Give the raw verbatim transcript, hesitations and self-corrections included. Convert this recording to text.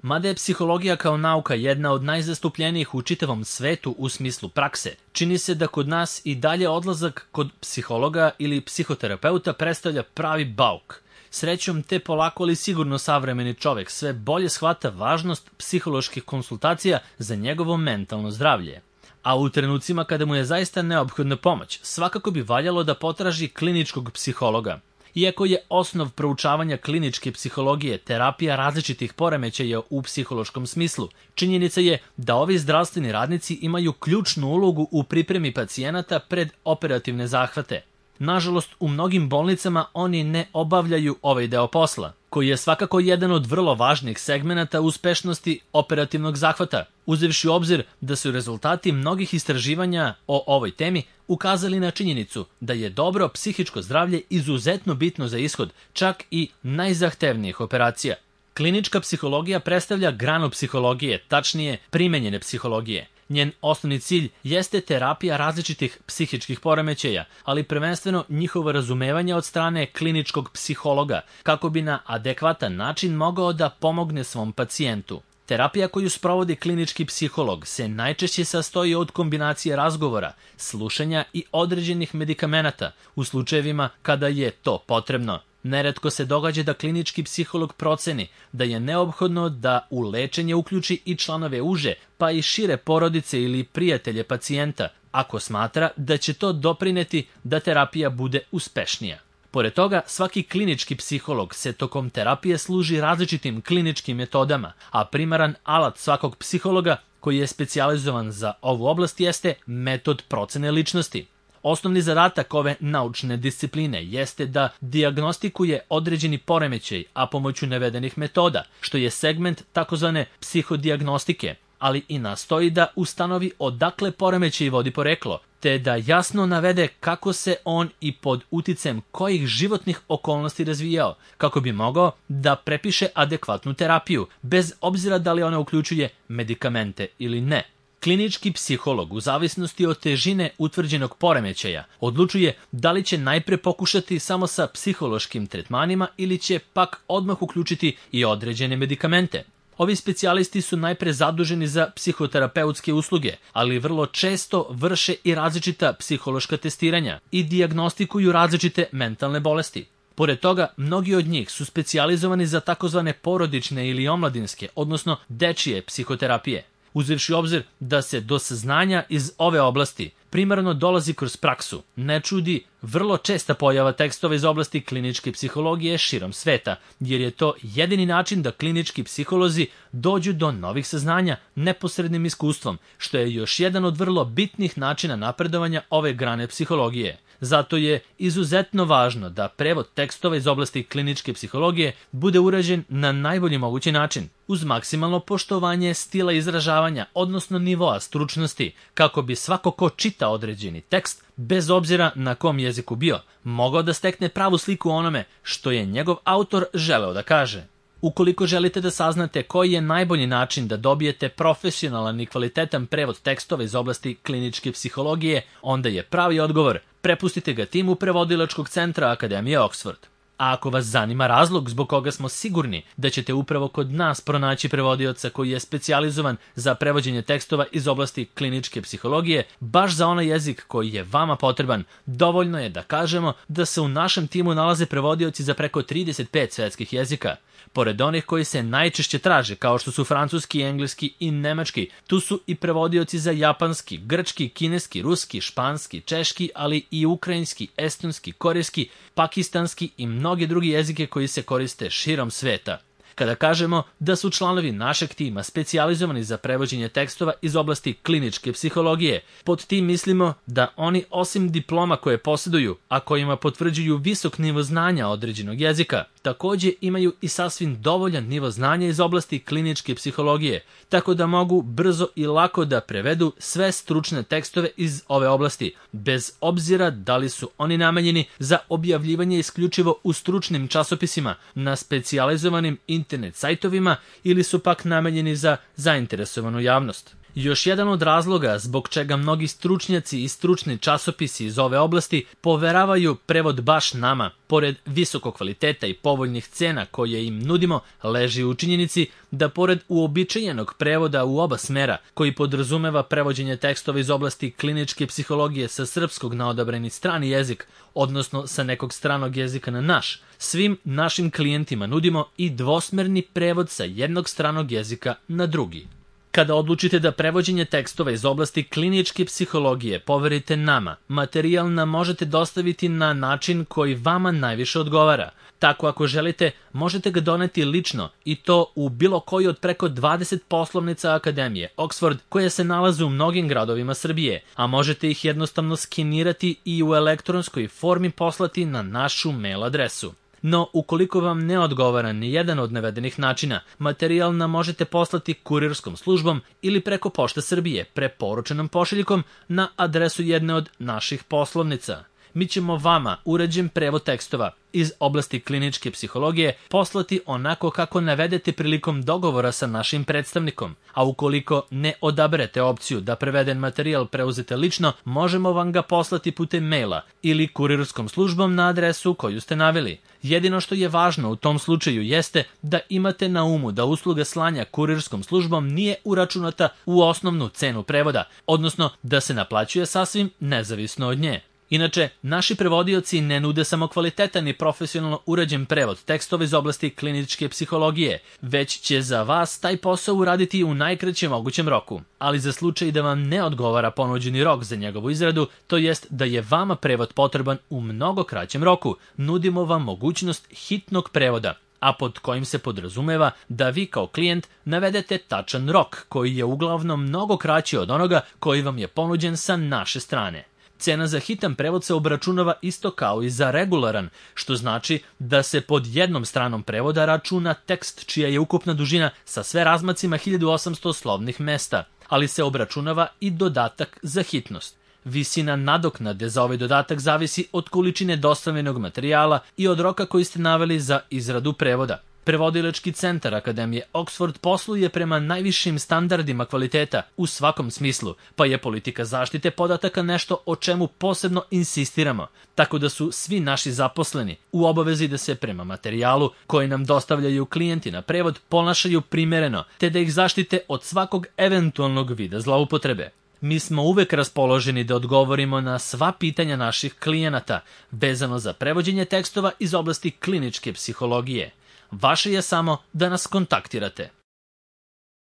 Mada je psihologija kao nauka jedna od najzastupljenijih u čitavom svetu u smislu prakse, čini se da kod nas i dalje odlazak kod psihologa ili psihoterapeuta predstavlja pravi bauk. Srećom, te polako ali sigurno savremeni čovek sve bolje shvata važnost psiholoških konsultacija za njegovo mentalno zdravlje. A u trenucima kada mu je zaista neophodna pomoć, svakako bi valjalo da potraži kliničkog psihologa. Iako je osnov proučavanja kliničke psihologije terapija različitih poremećaja u psihološkom smislu, činjenica je da ovi zdravstveni radnici imaju ključnu ulogu u pripremi pacijenata pred operativne zahvate. Nažalost, u mnogim bolnicama oni ne obavljaju ovaj deo posla, koji je svakako jedan od vrlo važnih segmenata uspešnosti operativnog zahvata, uzevši u obzir da su rezultati mnogih istraživanja o ovoj temi ukazali na činjenicu da je dobro psihičko zdravlje izuzetno bitno za ishod čak i najzahtevnijih operacija. Klinička psihologija predstavlja granu psihologije, tačnije primenjene psihologije. Njen osnovni cilj jeste terapija različitih psihičkih poremećaja, ali prvenstveno njihovo razumevanje od strane kliničkog psihologa, kako bi na adekvatan način mogao da pomogne svom pacijentu. Terapija koju sprovodi klinički psiholog se najčešće sastoji od kombinacije razgovora, slušanja i određenih medikamenata u slučajevima kada je to potrebno. Neretko se događa da klinički psiholog proceni da je neophodno da u lečenje uključi i članove uže, pa i šire porodice ili prijatelje pacijenta, ako smatra da će to doprineti da terapija bude uspešnija. Pored toga, svaki klinički psiholog se tokom terapije služi različitim kliničkim metodama, a primaran alat svakog psihologa koji je specijalizovan za ovu oblast jeste metod procene ličnosti. Osnovni zadatak ove naučne discipline jeste da dijagnostikuje određeni poremećaj, a pomoću navedenih metoda, što je segment takozvane psihodijagностike, ali i nastoji da ustanovi odakle poremećaj vodi poreklo, te da jasno navede kako se on i pod uticajem kojih životnih okolnosti razvijao, kako bi mogao da prepiše adekvatnu terapiju, bez obzira da li ona uključuje medikamente ili ne. Klinički psiholog, u zavisnosti od težine utvrđenog poremećaja, odlučuje da li će najpre pokušati samo sa psihološkim tretmanima ili će pak odmah uključiti i određene medikamente. Ovi specijalisti su najpre zaduženi za psihoterapeutske usluge, ali vrlo često vrše i različita psihološka testiranja i dijagnostikuju različite mentalne bolesti. Pored toga, mnogi od njih su specijalizovani za takozvane porodične ili omladinske, odnosno dečije psihoterapije. Uzevši obzir da se do saznanja iz ove oblasti primarno dolazi kroz praksu, ne čudi vrlo česta pojava tekstova iz oblasti kliničke psihologije širom sveta, jer je to jedini način da klinički psiholozi dođu do novih saznanja neposrednim iskustvom, što je još jedan od vrlo bitnih načina napredovanja ove grane psihologije. Zato je izuzetno važno da prevod tekstova iz oblasti kliničke psihologije bude urađen na najbolji mogući način, uz maksimalno poštovanje stila izražavanja, odnosno nivoa stručnosti, kako bi svako ko čita određeni tekst, bez obzira na kom jeziku bio, mogao da stekne pravu sliku o onome što je njegov autor želeo da kaže. Ukoliko želite da saznate koji je najbolji način da dobijete profesionalan i kvalitetan prevod tekstova iz oblasti kliničke psihologije, onda je pravi odgovor prepustite ga timu prevodilačkog centra Akademije Oxford. A ako vas zanima razlog zbog koga smo sigurni da ćete upravo kod nas pronaći prevodioca koji je specijalizovan za prevođenje tekstova iz oblasti kliničke psihologije, baš za onaj jezik koji je vama potreban, dovoljno je da kažemo da se u našem timu nalaze prevodioci za preko trideset pet svetskih jezika. Pored onih koji se najčešće traže, kao što su francuski, engleski i nemački, tu su i prevodioci za japanski, grčki, kineski, ruski, španski, češki, ali i ukrajinski, estonski, korejski, pakistanski i mnogi drugi jezike koji se koriste širom sveta. Kada kažemo da su članovi našeg tima specijalizovani za prevođenje tekstova iz oblasti kliničke psihologije, pod tim mislimo da oni osim diploma koje posjeduju, a kojima potvrđuju visok nivo znanja određenog jezika, takođe imaju i sasvim dovoljan nivo znanja iz oblasti kliničke psihologije, tako da mogu brzo i lako da prevedu sve stručne tekstove iz ove oblasti, bez obzira da li su oni namenjeni za objavljivanje isključivo u stručnim časopisima, na specijalizovanim internet sajtovima ili su pak namenjeni za zainteresovanu javnost. Još jedan od razloga zbog čega mnogi stručnjaci i stručni časopisi iz ove oblasti poveravaju prevod baš nama, pored visokog kvaliteta i povoljnih cena koje im nudimo, leži u činjenici da pored uobičajenog prevoda u oba smera, koji podrazumeva prevođenje tekstova iz oblasti kliničke psihologije sa srpskog na odabrani strani jezik, odnosno sa nekog stranog jezika na naš, svim našim klijentima nudimo i dvosmerni prevod sa jednog stranog jezika na drugi. Kada odlučite da prevođenje tekstova iz oblasti kliničke psihologije poverite nama, materijal nam možete dostaviti na način koji vama najviše odgovara. Tako ako želite, možete ga doneti lično i to u bilo koji od preko dvadeset poslovnica Akademije Oxford koje se nalaze u mnogim gradovima Srbije, a možete ih jednostavno skenirati i u elektronskoj formi poslati na našu mail adresu. No, ukoliko vam ne odgovara ni jedan od navedenih načina, materijal nam možete poslati kurirskom službom ili preko Pošte Srbije preporučenom pošiljkom na adresu jedne od naših poslovnica. Mi ćemo vama uređen prevod tekstova iz oblasti kliničke psihologije poslati onako kako navedete prilikom dogovora sa našim predstavnikom, a ukoliko ne odaberete opciju da preveden materijal preuzete lično, možemo vam ga poslati putem maila ili kurirskom službom na adresu koju ste naveli. Jedino što je važno u tom slučaju jeste da imate na umu da usluga slanja kurirskom službom nije uračunata u osnovnu cenu prevoda, odnosno da se naplaćuje sasvim nezavisno od nje. Inače, naši prevodioci ne nude samo kvalitetan i profesionalno urađen prevod tekstova iz oblasti kliničke psihologije, već će za vas taj posao uraditi u najkraćem mogućem roku. Ali za slučaj da vam ne odgovara ponuđeni rok za njegovu izradu, to jest da je vama prevod potreban u mnogo kraćem roku, nudimo vam mogućnost hitnog prevoda, a pod kojim se podrazumeva da vi kao klijent navedete tačan rok, koji je uglavnom mnogo kraći od onoga koji vam je ponuđen sa naše strane. Cena za hitan prevod se obračunava isto kao i za regularan, što znači da se pod jednom stranom prevoda računa tekst čija je ukupna dužina sa sve razmacima hiljadu osamsto slovnih mesta, ali se obračunava i dodatak za hitnost. Visina nadoknade za ovaj dodatak zavisi od količine dostavljenog materijala i od roka koji ste naveli za izradu prevoda. Prevodilački centar Akademije Oxford posluje prema najvišim standardima kvaliteta u svakom smislu, pa je politika zaštite podataka nešto o čemu posebno insistiramo, tako da su svi naši zaposleni u obavezi da se prema materijalu koji nam dostavljaju klijenti na prevod ponašaju primereno, te da ih zaštite od svakog eventualnog vida zloupotrebe. Mi smo uvek raspoloženi da odgovorimo na sva pitanja naših klijenata vezano za prevođenje tekstova iz oblasti kliničke psihologije. Vaše je samo da nas kontaktirate.